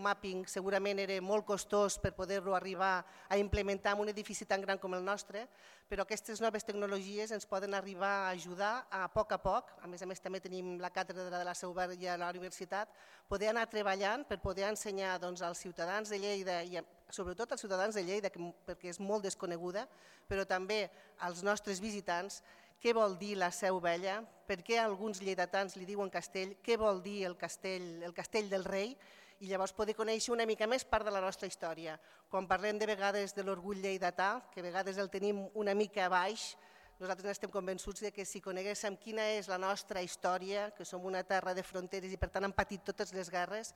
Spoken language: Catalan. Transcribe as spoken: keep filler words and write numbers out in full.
mapping segurament era molt costós per poder-lo arribar a implementar en un edifici tan gran com el nostre, però aquestes noves tecnologies ens poden arribar a ajudar a poc a poc, a més a més també tenim la càtedra de la Seu Verge a la universitat, poder anar treballant per poder ensenyar als ciutadans de Lleida i sobretot als ciutadans de Lleida, perquè és molt desconeguda, però també als nostres visitants, què vol dir la Seu Vella, per què alguns lleidatans li diuen castell, què vol dir el castell, el castell del rei, i llavors poder conèixer una mica més part de la nostra història. Quan parlem de vegades de l'orgull lleidatà, que a vegades el tenim una mica baix, nosaltres estem convençuts que si coneguéssim quina és la nostra història, que som una terra de fronteres i per tant hem patit totes les guerres,